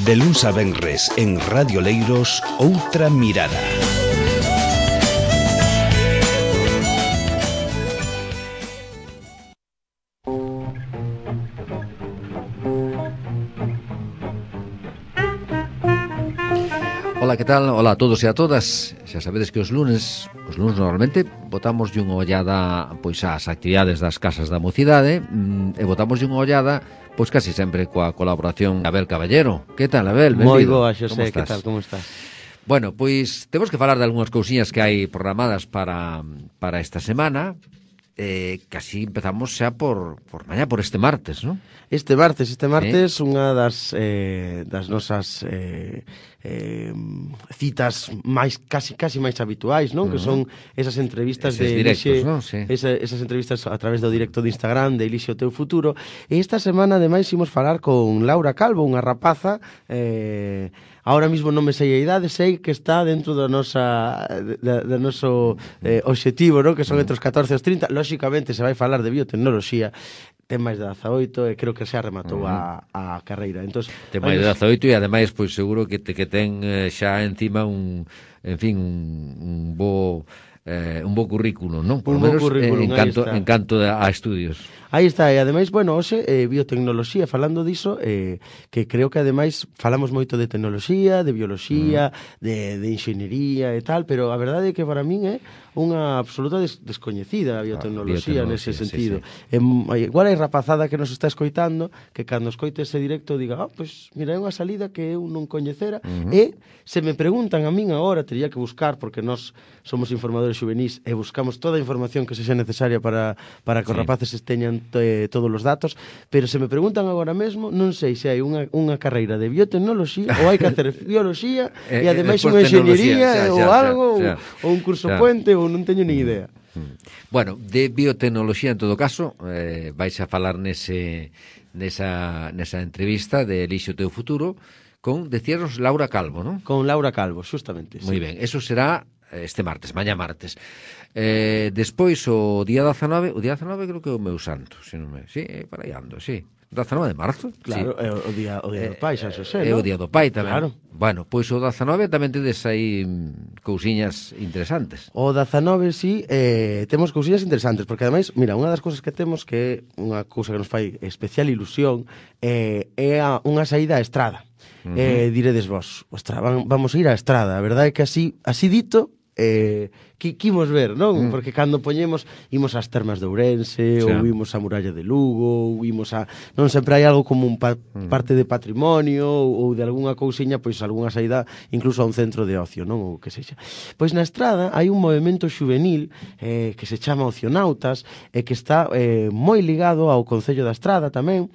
De luns a venres en Radio Leiros, Outra Mirada. Ola, que tal? Ola a todos e a todas. Xa sabedes que os lunes normalmente botamos unha ollada pois ás actividades das casas da mocidade e botamos unha ollada pois casi sempre coa colaboración de Abel Caballero. Que tal, Abel? Moi Benvido. boa, Xosé, que tal? Como estás? Bueno, pois temos que falar de algunhas cousiñas que hai programadas para esta semana. Casi empezamos xa por mañá, por este martes, non? Este martes, unha das nosas citas máis casi máis habituais, non? Que son esas entrevistas eses de directos, Elixe, non? Sí. esas entrevistas a través do directo de Instagram de Elixe o teu futuro. E esta semana ademais imos falar con Laura Calvo, unha rapaza ahora mismo non me sei a idade, sei que está dentro do noso obxectivo, non? Que son entre os 14 e os 30. Lóxicamente se vai falar de biotecnoloxía, ten máis de 18 e creo que xa rematou a carreira. Entón, ten máis de 18 e ademais pois seguro que ten xa encima un bo currículo, non? Por lo menos en canto a estudios. Aí está, e ademais, bueno, hoxe biotecnoloxía, falando diso, que creo que ademais falamos moito de tecnoloxía, de bioloxía, de enxeñería e tal, pero a verdade é que para min é unha absoluta descoñecida a biotecnoloxía nese sentido. Sí, sí. Igual hai rapazada que nos está escoitando, que cando escoite ese directo diga, pois mira, é unha salida que eu non coñecera, e se me preguntan a min agora, teria que buscar, porque nós somos informadores xuvenís e buscamos toda a información que sexa necesaria para que os rapaces teñan todos os datos, pero se me preguntan agora mesmo, non sei se hai unha carreira de biotecnoloxía ou hai que hacer bioloxía e ademais unha enxeñería ou algo, ou un curso puente, ou non teño ni idea. Bueno, de biotecnoloxía en todo caso, vais a falar nesa entrevista de Elixe o teu futuro con, decíanos, Laura Calvo, non? Con Laura Calvo, justamente. Moi ben, eso será este martes, mañá martes. Despois o día 19, creo que é o meu santo, se non me... Sí, para aí ando, sí. 19 de marzo? Claro, é o día do pai, xa Xosé, non? É o día do pai tamén. Claro. Bueno, pois o 19 tamén tedes aí cousiñas interesantes. O 19, sí, temos cousiñas interesantes, porque ademais, mira, unha das cousas que temos que é unha cousa que nos fai especial ilusión é unha saída á estrada. Diredes vos, ostra, vamos a ir á estrada. A verdade é que así dito, que imos ver, non? Porque cando imos ás termas de Ourense, ou imos á muralla de Lugo, ou imos a... Non sempre hai algo como un parte de patrimonio, ou de algunha cousiña, pois algunha saída incluso a un centro de ocio, non? Ou que sexa. Pois na estrada hai un movimento xuvenil que se chama Ocionautas e que está moi ligado ao Concello da Estrada tamén.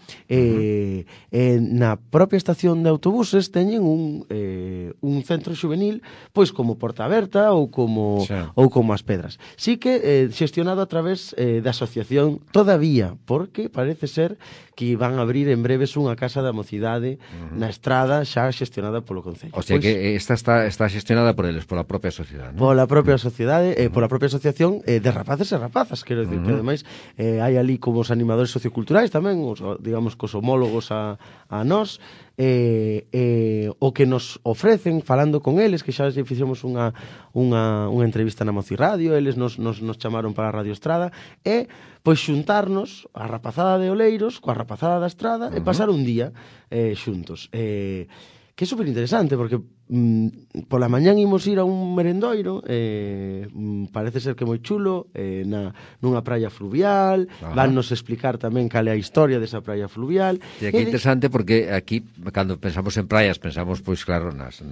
Na propia estación de autobuses teñen un centro xuvenil pois como Porta Aberta ou como as Pedras. Sí que xestionado a través da asociación todavía, porque parece ser que van a abrir en breves unha casa da mocidade na estrada xa xestionada polo Concello. O sea que esta está xestionada por eles, pola propia sociedade, non? Pola propia sociedade, pola propia asociación de rapaces e rapazas, quero dicir que ademais hai ali como os animadores socioculturais tamén, digamos, cos homólogos a nós, o que nos ofrecen falando con eles, que xa fixemos unha entrevista na Moci Radio, eles nos chamaron para a Radio Estrada, e pois xuntarnos a rapazada de Oleiros coa rapazada da Estrada e pasar un día xuntos. Que é super interesante, porque pola mañán imos ir a un merendoiro, parece ser que moi chulo, nunha praia fluvial, vannos explicar tamén cal é a historia desa praia fluvial. E aquí é interesante porque aquí, cando pensamos en praias, pensamos, pois claro, nas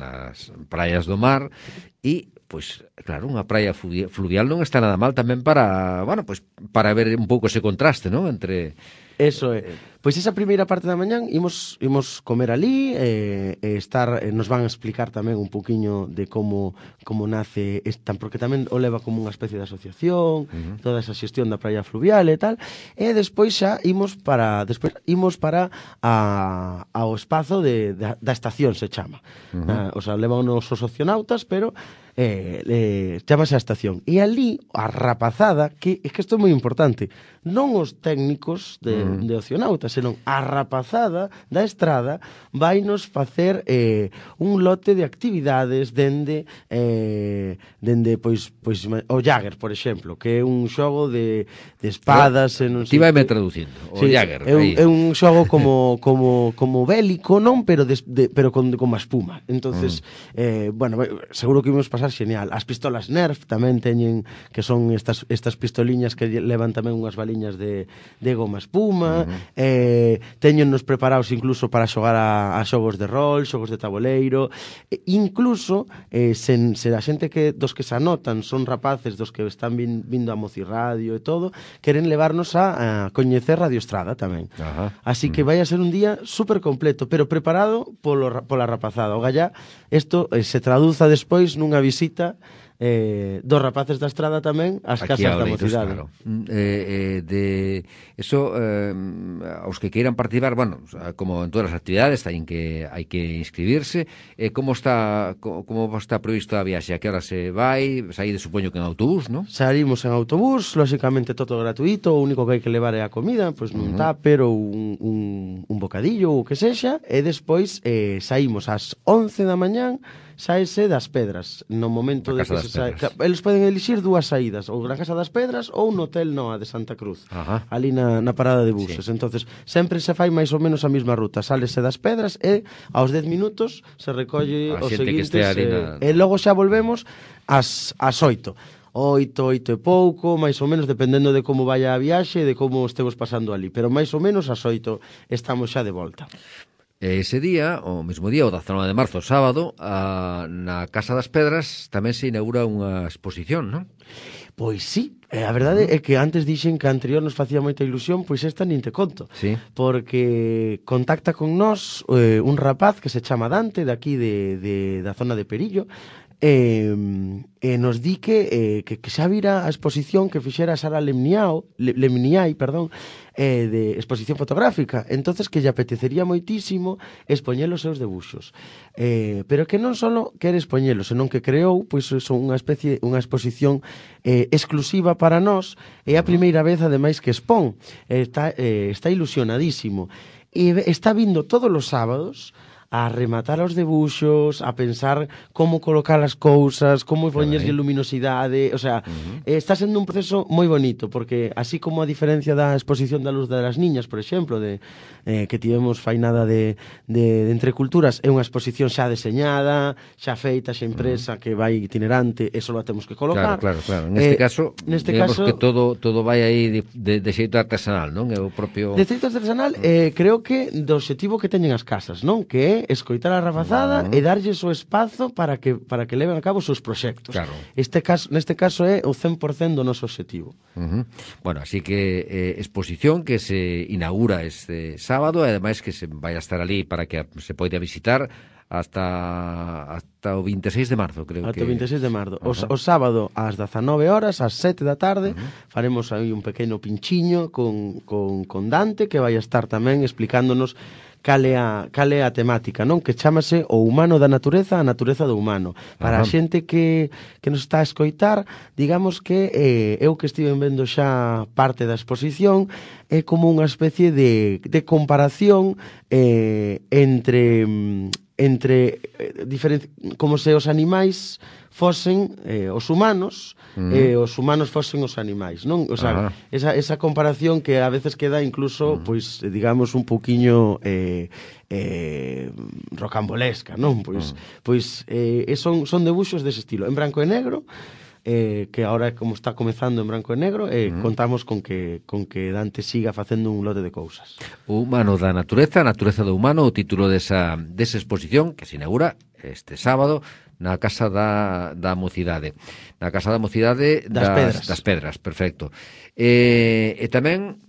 praias do mar, e, pois, claro, unha praia fluvial non está nada mal tamén para, bueno, pois, para ver un pouco ese contraste, non? Entre... Eso é. Pois esa primeira parte da mañán imos comer ali nos van a explicar tamén un poquiño de como nace porque tamén o leva como unha especie de asociación, toda esa xestión da praia fluvial e tal, e despois xa imos para ao espazo da estación, se chama. O sea, levan os ocionautas, pero chamase a estación. E ali, a rapazada, que é que isto é moi importante, non os técnicos de ocionauta, senón a rapazada da estrada vainos facer un lote de actividades dende pois o Jagger, por exemplo, que é un xogo de espadas e non sei. Ti vaime traducindo, o Jagger. É un xogo como bélico, non, pero con má espuma. Entonces, bueno, seguro que imos pasar genial. As pistolas Nerf tamén teñen, que son estas pistoliñas que levan tamén unhas baliñas de goma espuma. Teñennos preparados incluso para xogar a xogos de rol, xogos de tabuleiro. Incluso, se a xente dos que se anotan son rapaces dos que están vindo a Mocirradio e todo, queren levarnos a coñecer Radio Estrada tamén. Así que vai a ser un día super completo, pero preparado pola rapazada. O gallá, isto se traduza despois nunha visita dos rapaces da Estrada tamén ás casas da mocidade. Claro. De eso, aos que queiran participar, bueno, como en todas as actividades hai que inscribirse. Como está previsto a viaxe? A que hora se vai? Saíde, supoño que en autobús, non? Saímos en autobús, lóxicamente todo gratuito, o único que hai que levar é a comida, pois nun tupper ou un bocadillo ou o que sexa, e despois saímos ás 11 da mañán, saese das Pedras, no momento de que se sae. Eles poden elixir dúas saídas, ou na Casa das Pedras ou no Hotel Noa de Santa Cruz, ali na parada de buses. Sí. Entonces, sempre se fai máis ou menos a mesma ruta, sálese das Pedras e aos 10 minutos se recolle os seguintes e logo xa volvemos ás 8. 8 e pouco, máis ou menos, dependendo de como vaya a viaxe e de como estemos pasando ali, pero máis ou menos ás 8 estamos xa de volta. Ese día, o mesmo día, o 19 de marzo, sábado, na Casa das Pedras tamén se inaugura unha exposición, non? Pois sí, a verdade é que antes dixen que a anterior nos facía moita ilusión, pois esta nin te conto. Sí. Porque contacta con nós un rapaz que se chama Dante, daqui da zona de Perillo, e nos di que xa vira a exposición que fixera Sara Lemniai, de exposición fotográfica, entonces que lle apetecería moitísimo expoñer os seus debuxos, pero que non só quere expoñelos, senón que creou pois unha exposición exclusiva para nós, é a primeira vez ademais que expón, está ilusionadísimo e está vindo todos os sábados a rematar os debuxos, a pensar como colocar as cousas, como poñerlle luminosidade, o sea, está sendo un proceso moi bonito, porque así como a diferencia da exposición da Luz das Niñas, por exemplo, que tivemos fainada de Entre Culturas, é unha exposición xa deseñada, xa feita, xa impresa, que vai itinerante, e só a temos que colocar. Claro. Neste caso, digamos que todo vai aí de xeito artesanal, non? É o propio... De xeito artesanal, creo que do objetivo que teñen as casas, non? Que é escoitar a rapazada e darlles o espazo para que leven a cabo os seus proxectos. Claro. Neste caso é o 100% do noso objetivo. Bueno, así que exposición que se inaugura este sábado e ademais que se vai a estar ali para que se poida visitar hasta o 26 de marzo, creo que... Hasta o 26 de marzo. O sábado ás 19 horas, ás 7 da tarde, faremos aí un pequeno pinchiño con Dante, que vai a estar tamén explicándonos cal é a temática, non? Que chámase o humano da natureza, a natureza do humano. Para a xente que nos está a escoitar, digamos que eu que estive vendo xa parte da exposición, é como unha especie de comparación entre como se os animais fosen os humanos e os humanos fosen os animais, non? O sea, esa comparación que a veces queda incluso, pois, digamos, un pouquiño rocambolesca, non? Pois son debuxos dese estilo, en branco e negro, que ahora como está comezando en branco e negro, contamos con que Dante siga facendo un lote de cousas. O humano da natureza, a natureza do humano, o título desa exposición que se inaugura este sábado na Casa da Mocidade. Na Casa da Mocidade das Pedras, perfecto. E tamén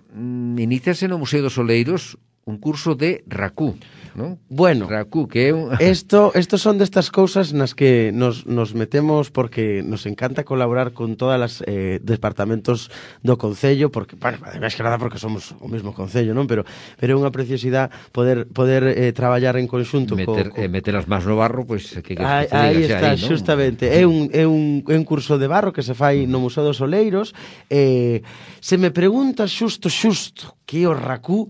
iníciase no Museo dos Oleiros un curso de Raku, non? Bueno, Raku, que é un... Estos son destas cousas nas que nos metemos porque nos encanta colaborar con todas as departamentos do Concello, porque, bueno, ademais que nada porque somos o mesmo Concello, non? Pero é unha preciosidade poder traballar en conxunto meter as mans no barro, pois que aí está, aí, justamente. É un curso de barro que se fai no Museo dos Oleiros. Se me preguntas xusto que o Raku,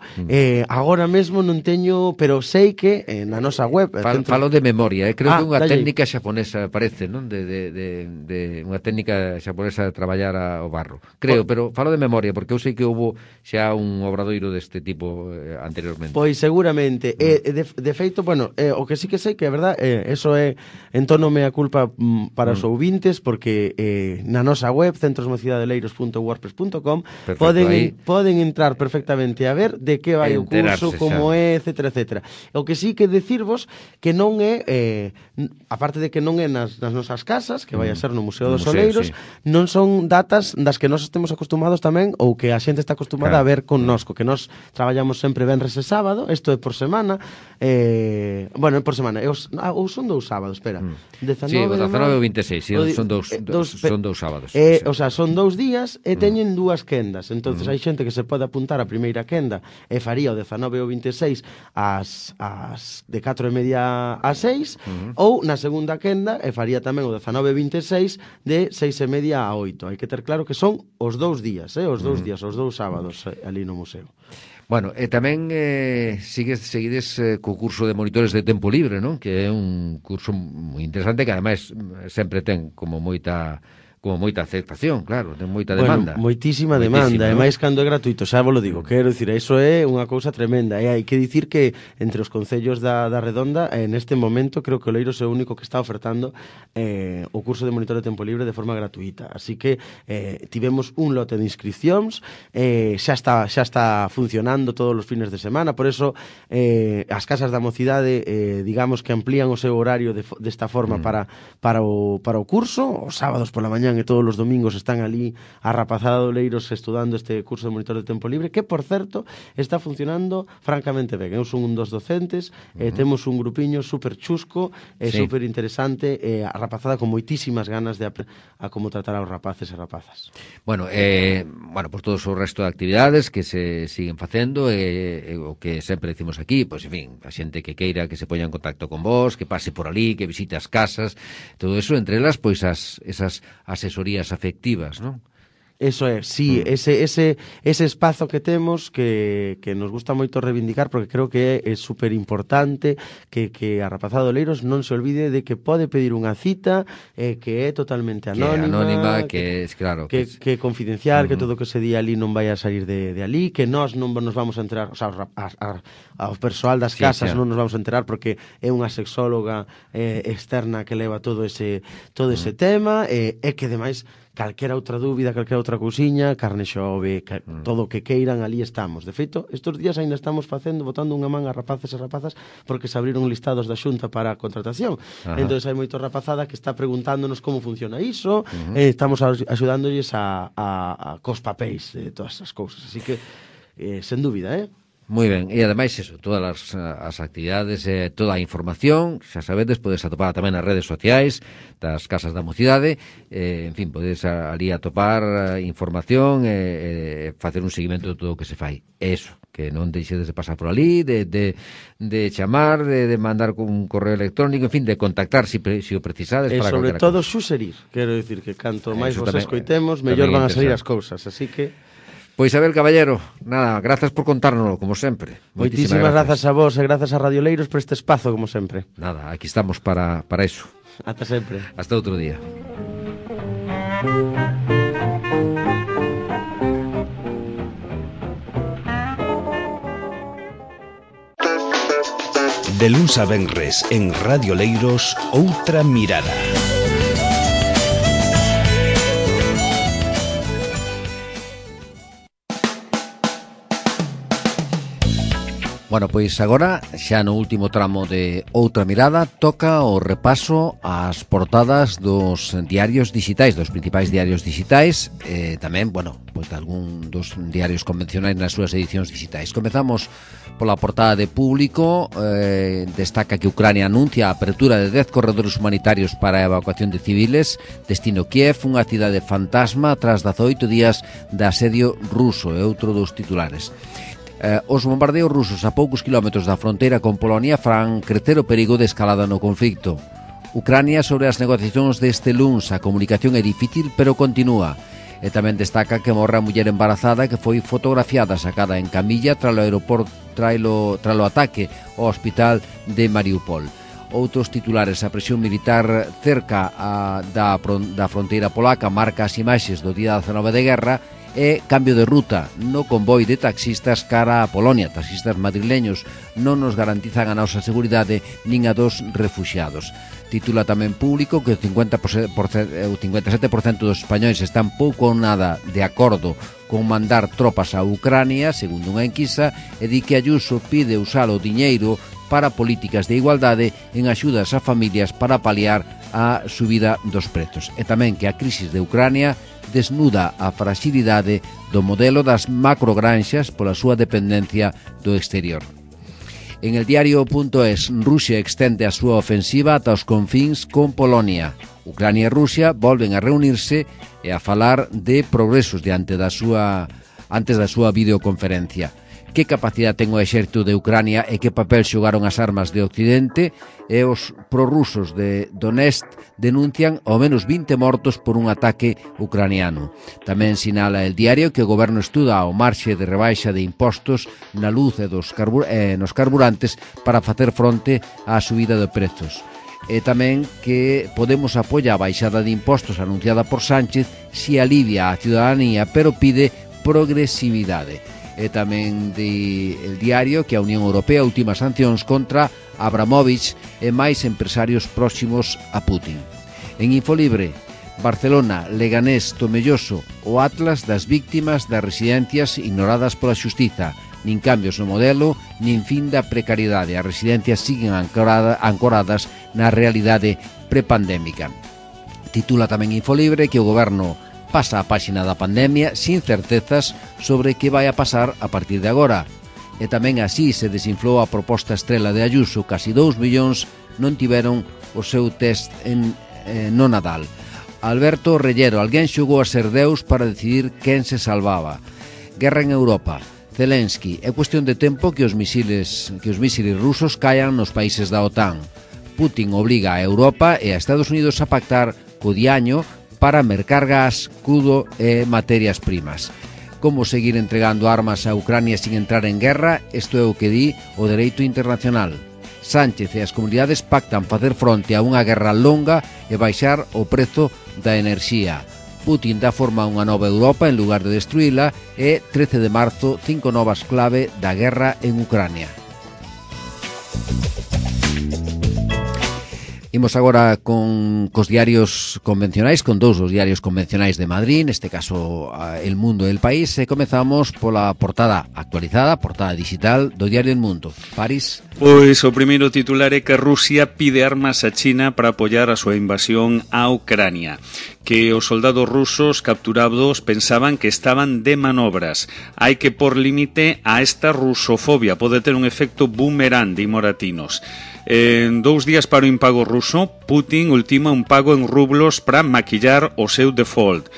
agora mesmo non teño, pero sei que na nosa web... Falo de memoria, creo que unha técnica xaponesa, parece, non? De unha técnica xaponesa de traballar o barro. Creo, pero falo de memoria, porque eu sei que houve xa un obradoiro deste tipo anteriormente. Pois seguramente. De feito, bueno, o que sí que sei que é verdad, eso é en tono mea culpa para os ouvintes, porque na nosa web, centrosmocidadeleeiros.wordpress.com, poden entrar perfectamente a ver de que vai o curso, como é, etcétera, etcétera. O que sí que decirvos que non é, aparte de que non é nas nosas casas, que vai a ser no Museo dos Oleiros, non son datas das que nós estemos acostumados tamén, ou que a xente está acostumada a ver connosco, que nós traballamos sempre venres e sábado, isto é por semana, bueno, é por semana, ou son 2 sábados, espera. 19 ou 26, son dous sábados. O sea, son 2 días e teñen 2 quendas, entonces hai xente que se pode apuntar a primeira quenda e faría o 19 ou 26 de 4:30 a 6, ou na segunda quenda e faría tamén o 19 e 26 de 6:30 a 8. Hai que ter claro que son os 2 días, os 2 sábados ali no museo. Bueno, e tamén seguides co curso de monitores de tempo libre, non? Que é un curso moi interesante que ademais sempre ten como moita aceptación, claro, ten moita demanda. Bueno, moitísima demanda, e máis cando é gratuito, xa vos lo digo, quero dicir, iso é unha cousa tremenda, e hai que dicir que entre os concellos da Redonda, neste momento, creo que o Oleiros é o único que está ofertando o curso de monitor de tempo libre de forma gratuita, así que tivemos un lote de inscripcións, xa está funcionando todos os fines de semana, por eso as casas da mocidade, digamos que amplían o seu horario desta forma para o curso, os sábados pola mañá e todos os domingos están ali a rapazada de Oleiros estudando este curso de monitor de tempo libre, que, por certo, está funcionando francamente ben. Eu son un dos docentes, temos un grupiño super chusco, super interesante, a rapazada con moitísimas ganas de a como tratar aos rapaces e rapazas. Bueno, por todos o resto de actividades que se siguen facendo, o que sempre decimos aquí, pois, en fin, a xente que queira que se poña en contacto con vos, que pase por ali, que visite as casas, todo eso, entre elas, pois, esas asesorías afectivas, non? Eso é, sí, ese espazo que temos que nos gusta moito reivindicar, porque creo que é super importante que a rapazada de Oleiros non se olvide de que pode pedir unha cita, que é totalmente anónima, que é confidencial, que todo o que se di ali non vai a salir de ali, que nós non nos vamos a enterar, o sea, ao persoal das casas non nos vamos a enterar porque é unha sexóloga externa que leva todo ese tema, e que, ademais, calquera outra dúbida, calquera outra cousiña, carne xove, todo o que queiran, ali estamos. De feito, estes días ainda estamos botando unha man a rapaces e rapazas porque se abriron listados da Xunta para a contratación. Entón, hai moito rapazada que está preguntándonos como funciona iso, estamos axudándolles cos papéis de todas as cousas. Así que, sen dúbida, Moi ben, e ademais eso, todas as actividades, toda a información, xa sabedes, podes atopar tamén nas redes sociais das Casas da Mocidade, en fin, podes ali atopar información e facer un seguimento de todo o que se fai. Eso, que non deixedes de pasar por ali, de chamar, de mandar un correo electrónico, en fin, de contactar se o precisades. E sobre todo xuxerir, quero dicir que canto máis vos escoitemos, mellor van a salir as cousas, así que... Pois, Abel Caballero, nada, grazas por contárnoslo, como sempre. Moitísimas grazas a vos e grazas a Radio Oleiros por este espazo, como sempre. Nada, aquí estamos para eso. Ata sempre. Hasta outro día. De luns a venres en Radio Oleiros, outra mirada. Bueno, pois agora, xa no último tramo de Outra Mirada, toca o repaso ás portadas dos diarios digitais, dos principais diarios digitais, tamén, bueno, pois de algún dos diarios convencionais nas súas edicións digitais. Comezamos pola portada de Público, destaca que Ucrania anuncia a apertura de 10 corredores humanitarios para a evacuación de civiles, destino Kiev, unha cidade fantasma tras 18 días de asedio ruso, é outro dos titulares. Os bombardeos rusos a poucos kilómetros da fronteira con Polonia farán crecer o perigo de escalada no conflicto. Ucrania sobre as negociacións deste luns, a comunicación é difícil pero continúa. E tamén destaca que morre a muller embarazada que foi fotografiada sacada en camilla tralo ataque ao hospital de Mariupol. Outros titulares, a presión militar cerca da fronteira polaca marca as imaxes do día 19 de guerra e cambio de ruta no convoi de taxistas cara a Polonia. Taxistas madrileños non nos garantizan a nosa seguridade nin a dos refuxiados. Titula tamén Público que o 57% dos españois están pouco ou nada de acordo con mandar tropas a Ucrania, segundo unha enquisa, e di que Ayuso pide usar o diñeiro para políticas de igualdade en axudas a familias para paliar a subida dos prezos. E tamén que a crisis de Ucrania desnuda a fragilidade do modelo das macrogranxas pola súa dependencia do exterior. En el diario.es, Rusia extende a súa ofensiva ata os confíns con Polonia. Ucrania e Rusia volven a reunirse e a falar de progresos antes da súa videoconferencia. Que capacidade ten o exército de Ucrania e que papel xogaron as armas de Occidente, e os prorrusos de Donetsk denuncian ao menos 20 mortos por un ataque ucraniano. Tamén sinala el diario que o goberno estuda o marxe de rebaixa de impostos na luz e nos carburantes para facer fronte á subida de prezos. E tamén que Podemos apoia a baixada de impostos anunciada por Sánchez si alivia a ciudadanía, pero pide progresividade. E tamén el diario que a Unión Europea ultima sancións contra Abramovich e máis empresarios próximos a Putin. En Infolibre, Barcelona, Leganés, Tomelloso, o Atlas das víctimas das residencias ignoradas pola xustiza. Nin cambios no modelo, nin fin da precariedade. As residencias siguen ancoradas na realidade prepandémica. Titula tamén Infolibre que o goberno pasa a páxina da pandemia sin certezas sobre que vai a pasar a partir de agora. E tamén así se desinflou a proposta estrela de Ayuso. Casi 2 millóns non tiveron o seu test no Nadal. Alberto Rellero, alguén xogou a ser Deus para decidir quen se salvaba. Guerra en Europa. Zelensky, é cuestión de tempo que os misiles rusos caian nos países da OTAN. Putin obliga a Europa e a Estados Unidos a pactar co diaño para mercar gas, crudo e materias primas. Como seguir entregando armas a Ucrania sin entrar en guerra? Isto é o que di o dereito internacional. Sánchez e as comunidades pactan facer fronte a unha guerra longa e baixar o prezo da enerxía. Putin dá forma a unha nova Europa en lugar de destruíla e 13 de marzo 5 novas clave da guerra en Ucrania. Imos agora cos diarios convencionais, con dous dos diarios convencionais de Madrid, neste caso El Mundo e El País, e comezamos pola portada actualizada, portada digital do diario El Mundo. París. Pois o primeiro titular é que Rusia pide armas a China para apoiar a súa invasión a Ucrania, que os soldados rusos capturados pensaban que estaban de manobras. Hai que por límite a esta rusofobia, pode ter un efecto boomerang, di Moratinos. En 2 días para o impago ruso, Putin ultima un pago en rublos para maquillar o seu default.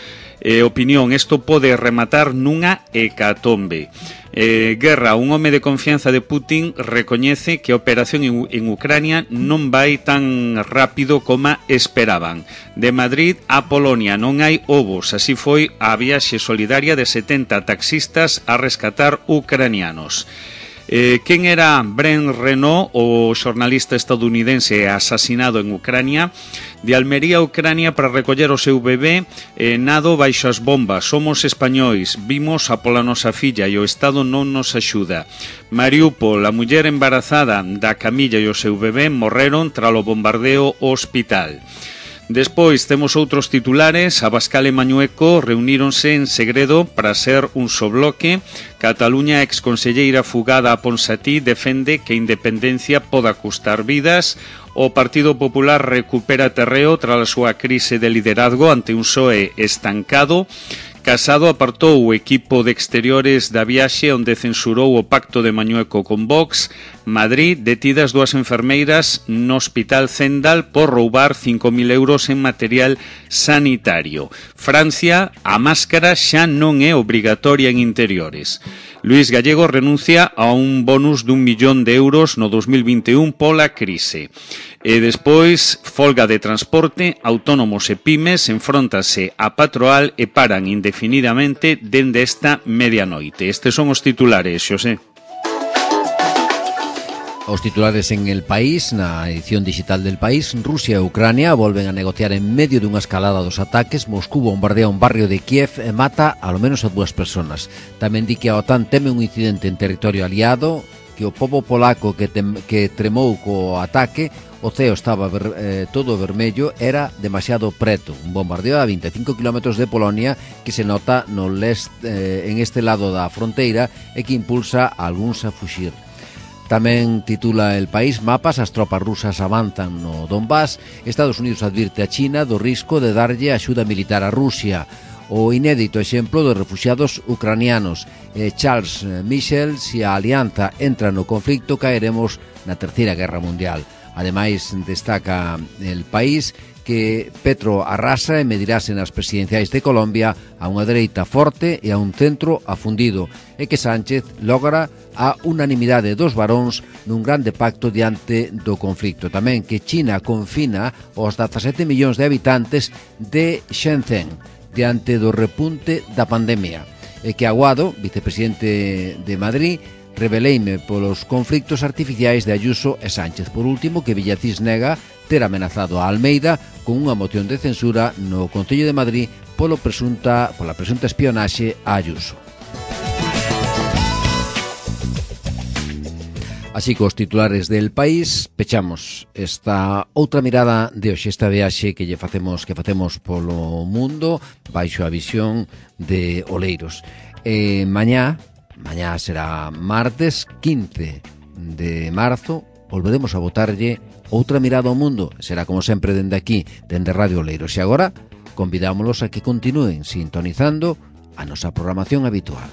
Opinión, isto pode rematar nunha hecatombe. Guerra, un home de confianza de Putin recoñece que a operación en Ucrania non vai tan rápido como esperaban. De Madrid a Polonia non hai ovos, así foi a viaxe solidaria de 70 taxistas a rescatar ucranianos. Quen era Brent Renaud, o xornalista estadounidense asasinado en Ucrania? De Almería a Ucrania para recoller o seu bebé, nado baixo as bombas. Somos españois, vimos a pola nosa filla e o Estado non nos axuda. Mariupol, a muller embarazada da camilla e o seu bebé morreron tralo bombardeo ao hospital. Despois temos outros titulares. Abascal e Mañueco reuníronse en segredo para ser un só bloque. Cataluña, exconselleira fugada a Ponsatí, defende que a independencia poda custar vidas. O Partido Popular recupera terreo tras a súa crise de liderazgo ante un PSOE estancado. Casado apartou o equipo de exteriores da viaxe onde censurou o pacto de Mañueco con Vox. Madrid, detidas 2 enfermeiras no Hospital Zendal por roubar 5.000 euros en material sanitario. Francia, a máscara xa non é obrigatoria en interiores. Luís Gallego renuncia a un bonus de 1 millón de euros no 2021 pola crise. E despois, folga de transporte, autónomos e pymes enfróntase a Patroal e paran indefinidamente dende esta medianoite. Estes son os titulares, Xosé. Os titulares en El País, na edición digital del País. Rusia e Ucrania volven a negociar en medio dunha escalada dos ataques. Moscú bombardea un barrio de Kiev e mata ao menos a 2 personas. Tamén di que a OTAN teme un incidente en territorio aliado, que o pobo polaco que tremou co ataque, o ceo estaba todo vermello, era demasiado preto. Un bombardeo a 25 km de Polonia que se nota no leste, en este lado da fronteira, e que impulsa a algúns a fuxir. Tamén titula El País: mapas, as tropas rusas avanzan no Donbass. Estados Unidos advirte a China do risco de darlle axuda militar a Rusia. O inédito exemplo dos refuxiados ucranianos. Charles Michel: se a alianza entra no conflicto, caeremos na Terceira Guerra Mundial. Ademais, destaca El País que Petro arrasa e medirase nas presidenciais de Colombia a unha dereita forte e a un centro afundido, e que Sánchez logra a unanimidade dos varóns nun grande pacto diante do conflicto. Tamén que China confina os 17 millóns de habitantes de Shenzhen diante do repunte da pandemia, e que Aguado, vicepresidente de Madrid, rebeleime polos conflictos artificiais de Ayuso e Sánchez. Por último, que Villacís nega ter amenazado a Almeida con unha moción de censura no Concello de Madrid pola presunta espionaxe a Ayuso. Así que os titulares del País, pechamos esta outra mirada de hoxe, esta viaxe que facemos polo mundo baixo a visión de Oleiros. Mañá será martes 15 de marzo, volveremos a botarlle outra mirada ao mundo. Será como sempre dende aquí, dende Radio Oleiros. E agora convidámolos a que continúen sintonizando a nosa programación habitual.